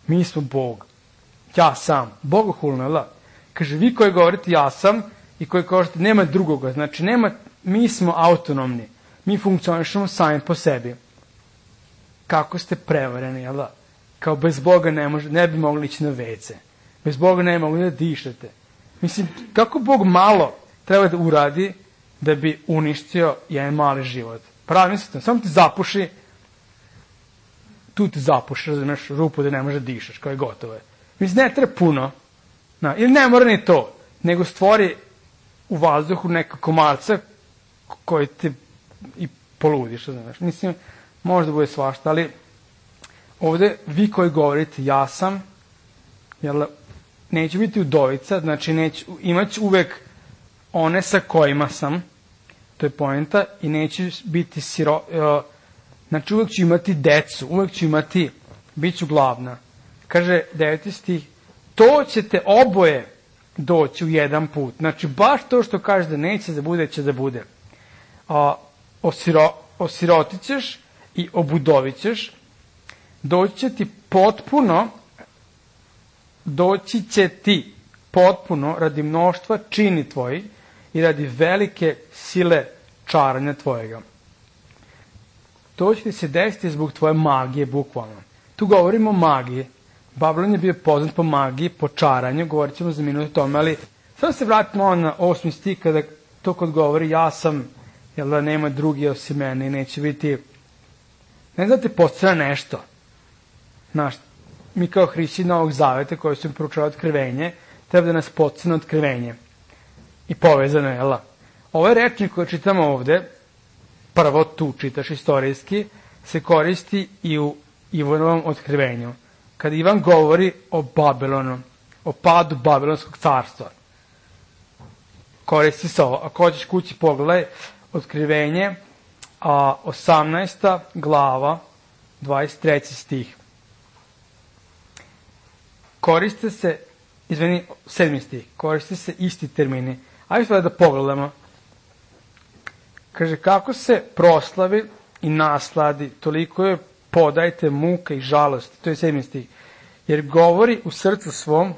mi smo Bog, ja sam, bogohulno, jel da? Kaže, vi koji govorite ja sam i koji kažete nema drugoga, znači nema, mi smo autonomni, mi funkcionišemo sami po sebi. Kako ste prevareni, jel da? Kao bez Boga ne, može, ne bi mogli ići na vece, bez Boga ne bi mogli da dišete. Mislim, kako Bog malo treba da uradi da bi uništio jedan mali život? Pravi mislite, samo ti zapuši, tu ti zapuši, razumeš, rupu da ne može da dišaš, kao je gotovo je. Mislim, ne treba puno, na, ili ne mora ni to, nego stvori u vazduhu neka komarca koji ti i poludiš, razumeš. Mislim, možda bude svašta, ali ovde vi koji govorite ja sam, jel, neću biti udovica, znači neću, imat ću uvek one sa kojima sam, to je poenta, i neću biti siro, uh, znači uvek ću imati decu, uvek ću imati, bit ću glavna. Kaže deveti stih, to ćete oboje doći u jedan put. Znači, baš to što kaže da neće da bude, će da bude. A, osiro, osirotit ćeš i obudovit ćeš, doći će ti potpuno, doći će ti potpuno radi mnoštva čini tvoji i radi velike sile čaranja tvojega. To će ti se desiti zbog tvoje magije, bukvalno. Tu govorimo o magiji. Babilon je bio poznat po magiji, po čaranju, govorit ćemo za minut o tome, ali samo se vratimo on na osmi stih kada to kod govori ja sam, jel da nema drugi osim mene i neće biti, ne znam da te podsjeća nešto. Znaš, mi kao hrišćani Novog Zaveta koji su proučavali otkrivenje, treba da nas podsjeća na otkrivenje. I povezano je, jel da? Ovaj rečnik koji čitamo ovde, prvo tu čitaš istorijski, se koristi i u Ivanovom otkrivenju. Kada Ivan govori o Babilonu, o padu Babilonskog carstva, koristi se ovo. Ako hoćeš kući pogledaj, otkrivenje, a osamnaesta glava, dvadeset treći stih. Koriste se, izvini, sedmi stih, koriste se isti termini. Ajde sada da pogledamo. Kaže, kako se proslavi i nasladi, toliko je podajte muka i žalosti. To je sedmi stih. Jer govori u srcu svom,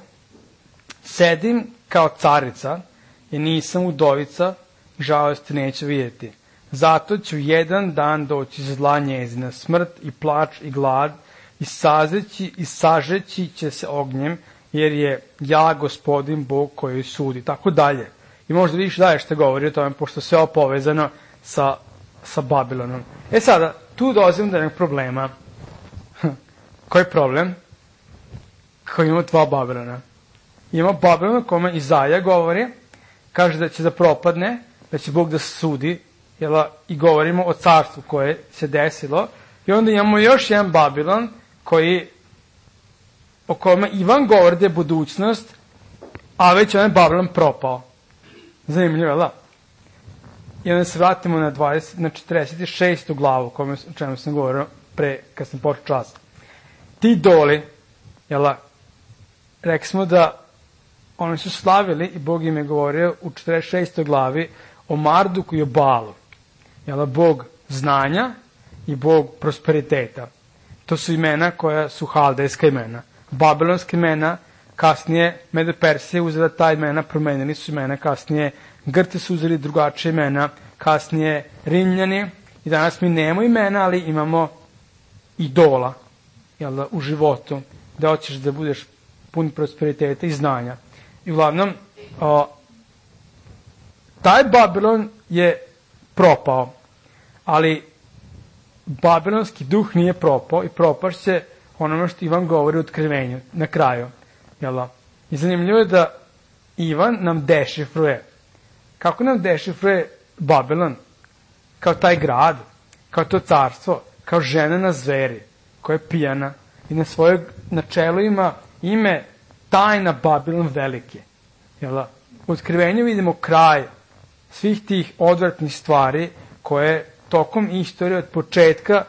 sedim kao carica, jer nisam udovica i žalosti neću vidjeti. Zato ću jedan dan doći zla njezina, smrt i plač i glad, i sazeći i sažeći će se ognjem, jer je ja gospodin Bog koji sudi. Tako dalje. I možda vidiš dalje što govori o tome, pošto sve ovo povezano sa, sa Babilonom. E sada, tu dolazim do jednog problema. Koji je problem? Koji ima dva Babilona. Ima Babilon o kome Izaja govori, kaže da će da propadne, da će Bog da sudi, jel, i govorimo o carstvu koje se desilo. I onda imamo još jedan Babilon koji, o kome Ivan govori da je budućnost, a već on je Babilon propao. Zanimljivo, jel da? I onda se vratimo na, dvadeset, na četrdeset šestu glavu, kome, o čemu sam govorio pre, kad sam počeo čas. Ti idoli, jel da, rekli smo da oni su slavili i Bog im je govorio u četrdeset šestoj glavi o Marduku i o Balu. Jel da, Bog znanja i Bog prosperiteta. To su imena koja su haldejska imena. Babilonska imena, kasnije Medo-Persija uzela ta imena, promenili su imena, kasnije Grci su uzeli drugačije imena, kasnije Rimljani, i danas mi nemamo imena, ali imamo idola, jel da, u životu, da hoćeš da budeš pun prosperiteta i znanja. I uglavnom, o, taj Babilon je propao, ali babilonski duh nije propao i propašće onome što Ivan govori u Otkrivenju, na kraju. Jel da? I zanimljivo je da Ivan nam dešifruje. Kako nam dešifruje Babilon? Kao taj grad, kao to carstvo, kao žena na zveri, koja je pijana i na svojeg načelu ima ime tajna Babilon velike. Jel da? U Otkrivenju vidimo kraj svih tih odvratnih stvari koje tokom istorije od početka,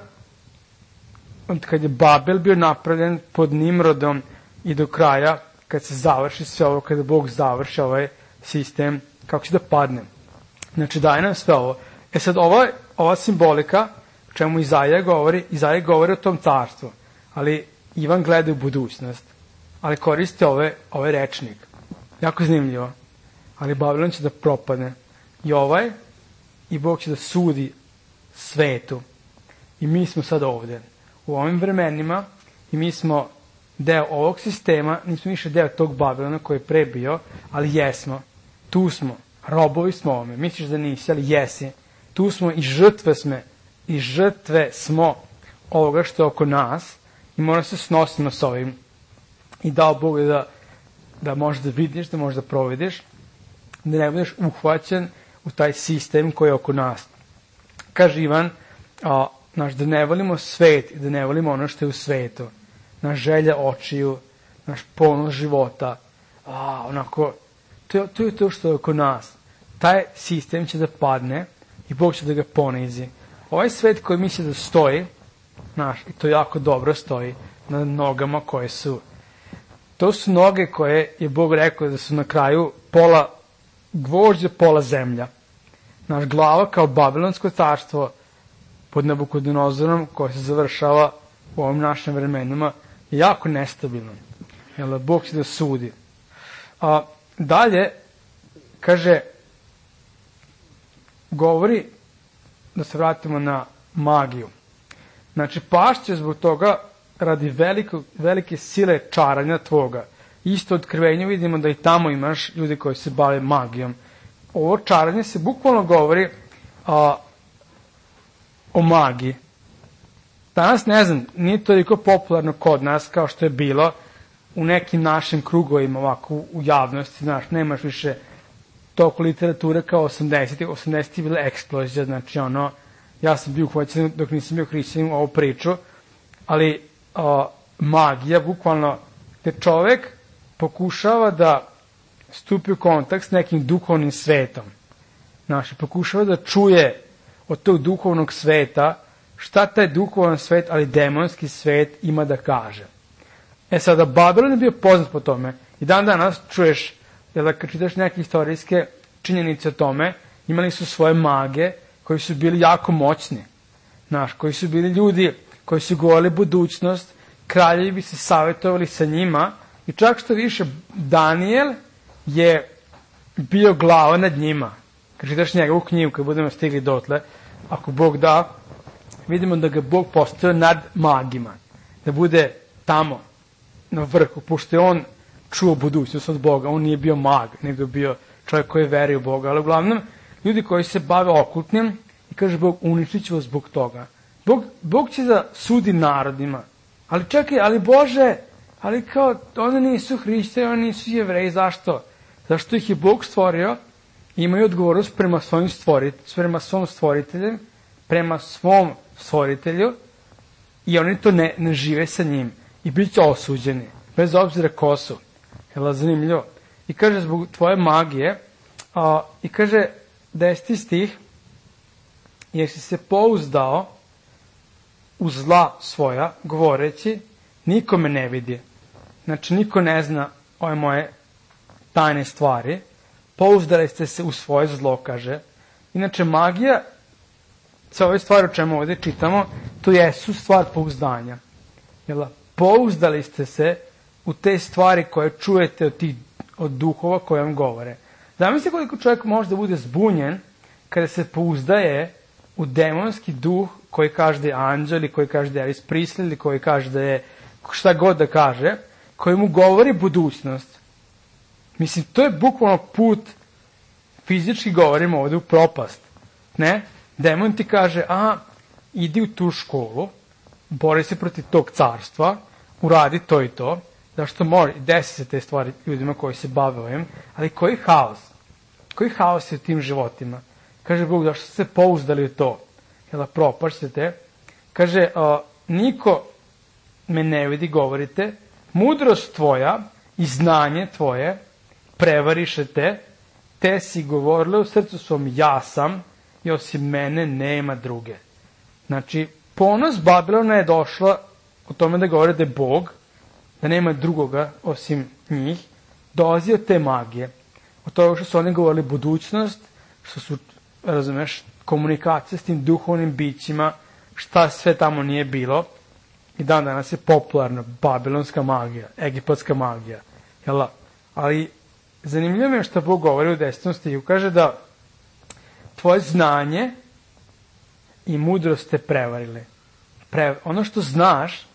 od kad je Babel bio napravljen pod Nimrodom i do kraja, kad se završi sve ovo, kada Bog završi ovaj sistem, kako će da padne. Znači, daje nam sve ovo. E sad, ova, ova simbolika, o čemu Izaja govori, Izaja govori o tom carstvu, ali Ivan gleda u budućnost, ali koristi ove, ovaj rečnik. Jako zanimljivo. Ali Babilon će da propadne. I ovaj, i Bog će da sudi svetu. I mi smo sad ovde, u ovim vremenima, i mi smo deo ovog sistema, nismo više deo tog Babilona koji je pre bio, ali jesmo. Tu smo, robovi smo ovome. Misliš da nisi, ali jesi. Tu smo i žrtve sme, i žrtve smo ovoga što je oko nas i moramo se snosimo s ovim. I dao Bog da, da možeš da vidiš, da možeš da provediš, da ne budeš uhvaćen u taj sistem koji je oko nas. Kaže Ivan, a, naš, da ne volimo svet i da ne volimo ono što je u svetu. Naš želja očiju, naš ponos života, a, onako, to je, to je to što je oko nas. Taj sistem će da padne i Bog će da ga ponizi. Ovaj svet koji misli da stoji, naš, i to jako dobro stoji, na nogama koje su, to su noge koje je Bog rekao da su na kraju pola gvožđe, pola zemlja. Naš glava kao babilonsko carstvo pod Nabukodonozorom koje se završava u ovim našim vremenima je jako nestabilno. Jer Bog će da sudi. A dalje, kaže, govori, da se vratimo na magiju. Znači, pašće zbog toga radi veliko, velike sile čaranja tvoga. Isto otkrivenju vidimo da i tamo imaš ljudi koji se bave magijom. Ovo čaranje se bukvalno govori a, o magiji. Danas, ne znam, nije toliko popularno kod nas kao što je bilo u nekim našim krugovima ovako u javnosti. Znaš, nemaš više toliko literature kao osamdesetih. osamdesetih je bila eksplozija, znači ono, ja sam bio uhvaćen dok nisam bio hrišćanin u ovu priču, ali a, magija, bukvalno, gde čovek pokušava da stupi u kontakt s nekim duhovnim svetom. Znači, pokušava da čuje od tog duhovnog sveta šta taj duhovan svet, ali demonski svet ima da kaže. E sada, Babilon je bio poznat po tome. I dan danas čuješ, jer da kad čitaš neke istorijske činjenice o tome, imali su svoje mage koji su bili jako moćni. Znaš, koji su bili ljudi koji su govorili budućnost, kraljevi bi se savjetovali sa njima i čak što više, Daniel je bio glava nad njima. Kad čitaš njegovu knjigu, kad budemo stigli dotle, ako Bog da, vidimo da ga Bog postavio nad magima, da bude tamo, na vrhu, pošto je on čuo budućnost od Boga, on nije bio mag, nego je bio čovjek koji je verio u Boga, ali uglavnom, ljudi koji se bave okultnim, i kaže Bog, uništit ću vas zbog toga. Bog, Bog će da sudi narodima, ali čekaj, ali Bože, ali kao, oni nisu hrišćani, oni nisu jevreji, zašto? Zašto ih je Bog stvorio, imaju odgovornost prema svojim stvorit, prema svom stvoritelju, prema svom stvoritelju, i oni to ne, ne žive sa njim, i bit će osuđeni, bez obzira ko su. Jel' zanimljivo? I kaže, zbog tvoje magije, a, i kaže, deseti stih, jer si se pouzdao u zla svoja, govoreći, niko me ne vidi. Znači, niko ne zna ove moje tajne stvari. Pouzdali ste se u svoje zlo, kaže. Inače, magija, sa ove stvari o čemu ovdje čitamo, to jesu stvar pouzdanja. Jel? Pouzdali ste se u te stvari koje čujete od, tih, od duhova koje vam govore. Zamislite koliko čovjek može da bude zbunjen kada se pouzdaje u demonski duh koji kaže da je anđel, ili koji kaže da je Elvis Presley, ili koji kaže da je šta god da kaže, koji mu govori budućnost. Mislim, to je bukvalno put, fizički govorimo ovdje, u propast. Ne? Demon ti kaže, a, idi u tu školu, bori se protiv tog carstva, uradi to i to, zašto može, desi se te stvari ljudima koji se bave ovim, ali koji haos? Koji haos je u tim životima? Kaže Bog, zašto ste se pouzdali u to? Jel, propašćete? Kaže, a, niko me ne vidi, govorite, mudrost tvoja i znanje tvoje prevariše te, te si govorile u srcu svom, ja sam, i osim mene nema druge. Znači, ponos Babilona je došla o tome da govore da je Bog, da nema drugoga osim njih, dolazi od te magije. Od toga što su oni govorili budućnost, što su, razumeš, komunikacija s tim duhovnim bićima, šta sve tamo nije bilo. I dan danas je popularna babilonska magija, egipatska magija. Jel? Ali zanimljivo je što Bog govori u desetom stihu. Kaže da tvoje znanje i mudrost te prevarile. Pre, ono što znaš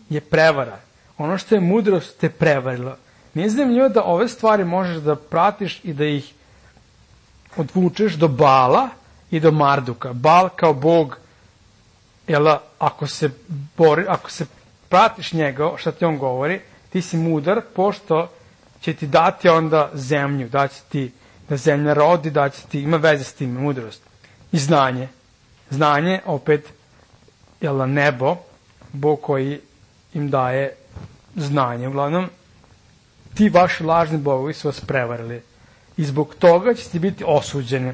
je prevara. Ono što je mudrost te prevarilo. Nije zanimljivo da ove stvari možeš da pratiš i da ih odvučeš do Bala i do Marduka. Bal kao Bog, jel, ako se bori, ako se pratiš njega, šta ti on govori, ti si mudar, pošto će ti dati onda zemlju, da će ti da zemlja rodi, da će ti, ima veze s tim, mudrost. I znanje. Znanje, opet, jel, nebo, Bog koji im daje znanje. Uglavnom, ti vaši lažni bogovi su vas prevarili. I zbog toga će ti biti osuđeni.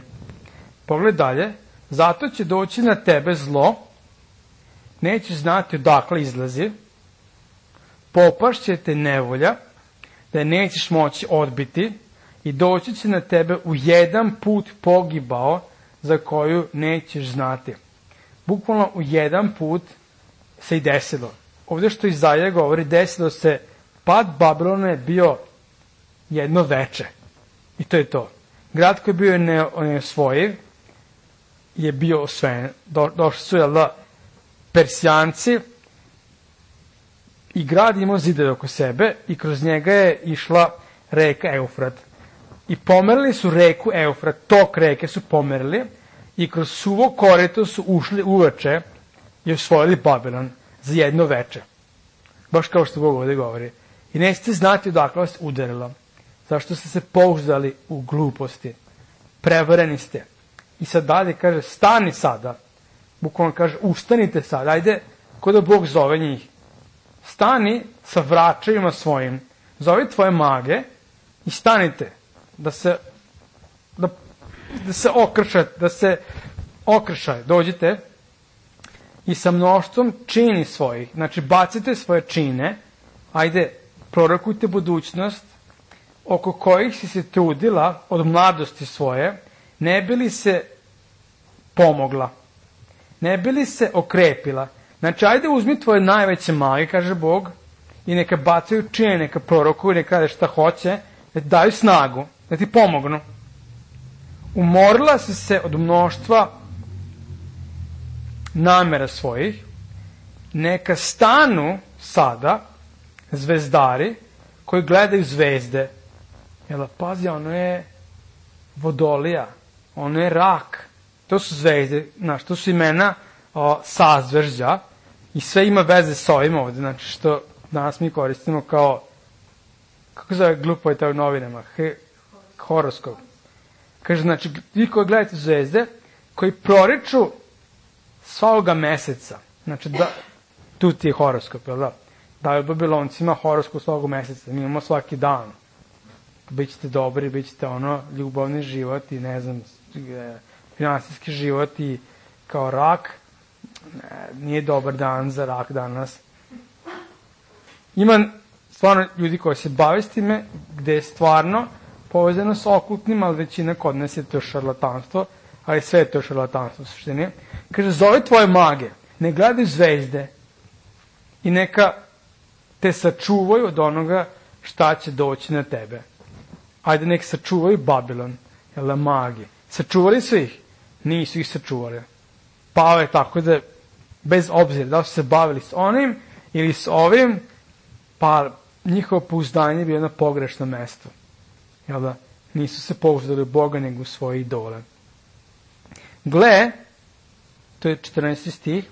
Pogled dalje. Zato će doći na tebe zlo, nećeš znati odakle izlazi, popašće te nevolja, da je nećeš moći odbiti, i doći će na tebe u jedan put pogibao za koju nećeš znati. Bukvalno u jedan put se i desilo. Ovdje što Izaija govori, desilo se, pad Babilona je bio jedno veče. I to je to. Grad koji je bio neosvojiv je bio osvojen. Do, došli su, jel da, Persijanci, i grad imao zidove oko sebe i kroz njega je išla reka Eufrat. I pomerili su reku Eufrat, tok reke su pomerili i kroz suvo korito su ušli uveče i osvojili Babilon za jedno veče. Baš kao što Bog ovdje govori. I nećete znati odakle vas udarilo. Zašto ste se pouzdali u gluposti. Prevareni ste. I sad dalje kaže, stani sada. Bukvalno kaže, ustanite sad. Ajde, ko da Bog zove njih. Stani sa vračevima svojim. Zove tvoje mage i stanite. Da se, da, da se okršate, da se okršaju. Dođite i sa mnoštvom čini svojih. Znači, bacite svoje čine. Ajde, prorokujte budućnost oko kojih si se trudila od mladosti svoje, ne bi li se pomogla, ne bi li se okrepila. Znači, ajde uzmi tvoje najveće mage, kaže Bog, i neka bacaju čine, neka prorokuju, neka rade šta hoće, da ti daju snagu, da ti pomognu. Umorila si se od mnoštva namera svojih, neka stanu sada zvezdari koji gledaju zvezde. Jel, pazi, ono je vodolija, ono je rak, to su zvezde, znaš, to su imena o, sazvežđa i sve ima veze s ovim ovde, znači što danas mi koristimo kao, kako zove glupo je to u novinama, He, horoskop. Kaže, znači, vi koji gledate zvezde, koji proriču svakoga meseca, znači, da, tu ti je horoskop, jel da? Daju Babiloncima horoskop svakog meseca, mi imamo svaki dan. Bićete dobri, bićete ono, ljubavni život i ne znam, finansijski život i kao rak, ne, nije dobar dan za rak danas. Ima stvarno ljudi koji se bave s time, gde je stvarno povezano s okultnim, ali većina kod nas je to šarlatanstvo, ali sve je to šarlatanstvo u suštini. Kaže, zove tvoje mage, ne gledaju zvezde i neka te sačuvaju od onoga šta će doći na tebe. Ajde, nek sačuvaju Babilon, jel da, magi. Sačuvali su ih? Nisu ih sačuvali. Pao je tako da, bez obzira da su se bavili s onim ili s ovim, pa njihovo pouzdanje je bilo na pogrešno mesto. Jel da? Nisu se pouzdali u Boga, nego u svoje idole. Gle, to je četrnaesti stih,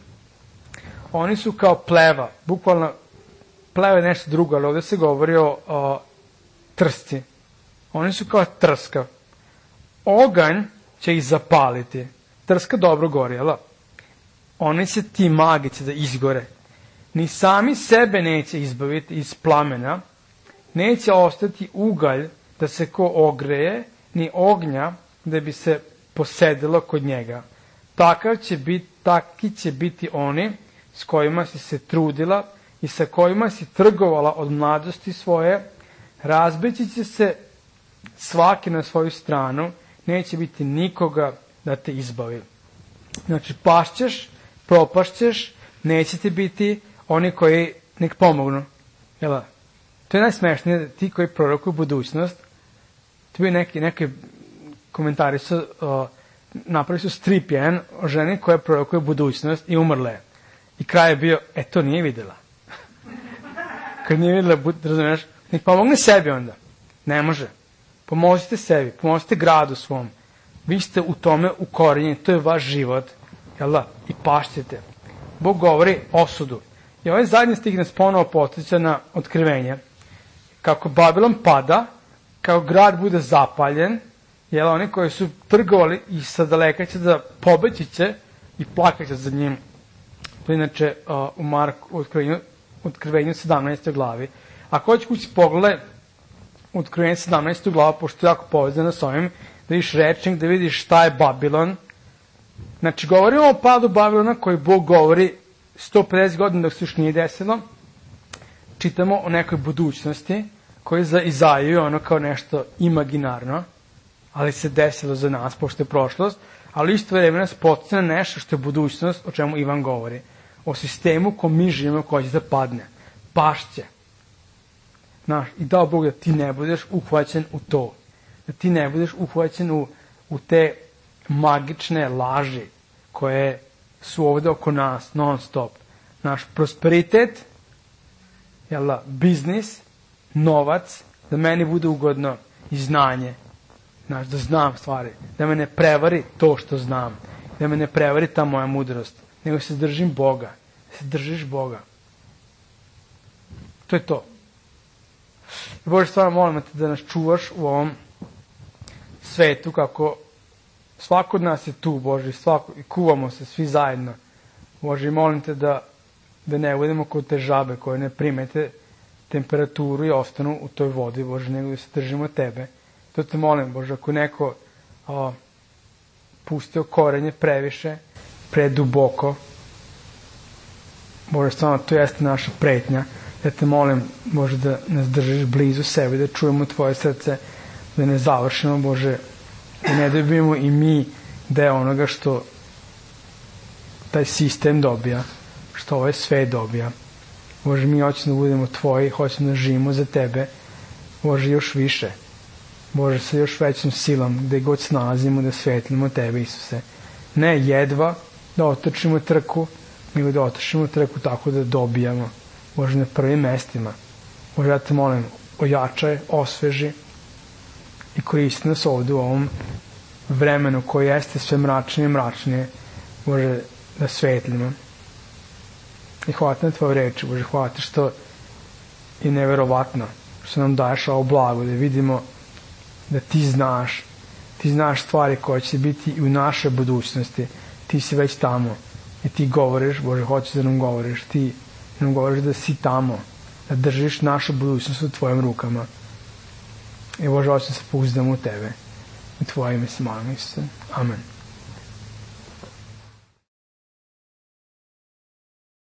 oni su kao pleva, bukvalno pleva je nešto drugo, ali ovde se govori o, o trsci. Oni su kao trska. Oganj će ih zapaliti. Trska dobro gori, jel? Oni će ti magi će da izgore. Ni sami sebe neće izbaviti iz plamena, neće ostati ugalj da se ko ogreje, ni ognja da bi se posedilo kod njega. Takav će biti, taki će biti oni s kojima si se trudila i sa kojima si trgovala od mladosti svoje, razbeći će se svaki na svoju stranu, neće biti nikoga da te izbavi. Znači, pašćeš, propašćeš, neće ti biti oni koji nek pomognu. Jel? To je najsmešnije, ti koji prorokuju budućnost, to bi neki, neki komentari su, uh, napravili su strip jedan o ženi koja prorokuje budućnost i umrla je. I kraj je bio, e, to nije videla. Kad nije videla, razumiješ, nek pomogne sebi onda. Ne može. Pomozite sebi, pomozite gradu svom. Vi ste u tome ukorenjeni, to je vaš život. Jel da? I pašćete. Bog govori osudu. I ovaj zadnji stih nas ponovo podsjeća na otkrivenje. Kako Babilon pada, kao grad bude zapaljen, jel, oni koji su trgovali i sa daleka će da pobeći će i plakaće za njim. To je inače uh, u Marku, u otkrivenju, otkrivenju sedamnaestoj glavi. Ako hoće kući pogledaj u otkrivenju sedamnaestoj glavu, pošto je jako povezano s ovim, da vidiš rečnik, da vidiš šta je Babilon. Znači, govorimo o padu Babilona koji Bog govori sto pedeset godina dok se još nije desilo. Čitamo o nekoj budućnosti koji za Izaju ono kao nešto imaginarno, ali se desilo za nas, pošto je prošlost, ali isto vreme nas podsjeća na nešto što je budućnost, o čemu Ivan govori. O sistemu ko mi živimo, koji će da padne. Pašće. Znaš, i dao Bog da ti ne budeš uhvaćen u to. Da ti ne budeš uhvaćen u, u te magične laži koje su ovde oko nas, non stop. Naš prosperitet, jel da, biznis, novac, da meni bude ugodno i znanje. Znaš, da znam stvari. Da me ne prevari to što znam. Da me ne prevari ta moja mudrost. Nego se držim Boga. Da se držiš Boga. To je to. Bože, stvarno molim te da nas čuvaš u ovom svetu, kako svako od nas je tu, Bože, svako, i kuvamo se svi zajedno. Bože, molim te da, da ne budemo kod te žabe koje ne primete temperaturu i ostanu u toj vodi, Bože, nego da se držimo tebe. To te molim, Bože, ako neko o, pustio korenje previše, preduboko, Bože, stvarno, to jeste naša pretnja. Ja te molim, Bože, da nas držiš blizu sebe, da čujemo tvoje srce, da ne završimo, Bože, da ne dobijemo i mi deo onoga što taj sistem dobija, što ovaj svet dobija. Bože, mi hoćemo da budemo tvoji, hoćemo da živimo za tebe, Bože, još više. Bože, sa još većom silom, gde god se nalazimo, da svetlimo tebe, Isuse. Ne jedva, da otrčimo trku, nego da otrčimo trku tako da dobijamo, Bože, na prvim mestima. Bože, ja te molim, ojačaj, osveži i koristi nas ovde u ovom vremenu koje jeste sve mračnije i mračnije, Bože, da svetlimo. I hvala ti na tvoje reči, Bože, hvala ti što je neverovatno što nam daješ ovo blago, da vidimo da ti znaš, ti znaš stvari koje će biti i u našoj budućnosti, ti si već tamo i ti govoriš, Bože, hoćeš da nam govoriš, ti nam govoriš da si tamo, da držiš našu budućnost u tvojim rukama. I Bože, hoćeš da se pouzdamo u tebe. U tvoje ime se molim, Isuse. Amen.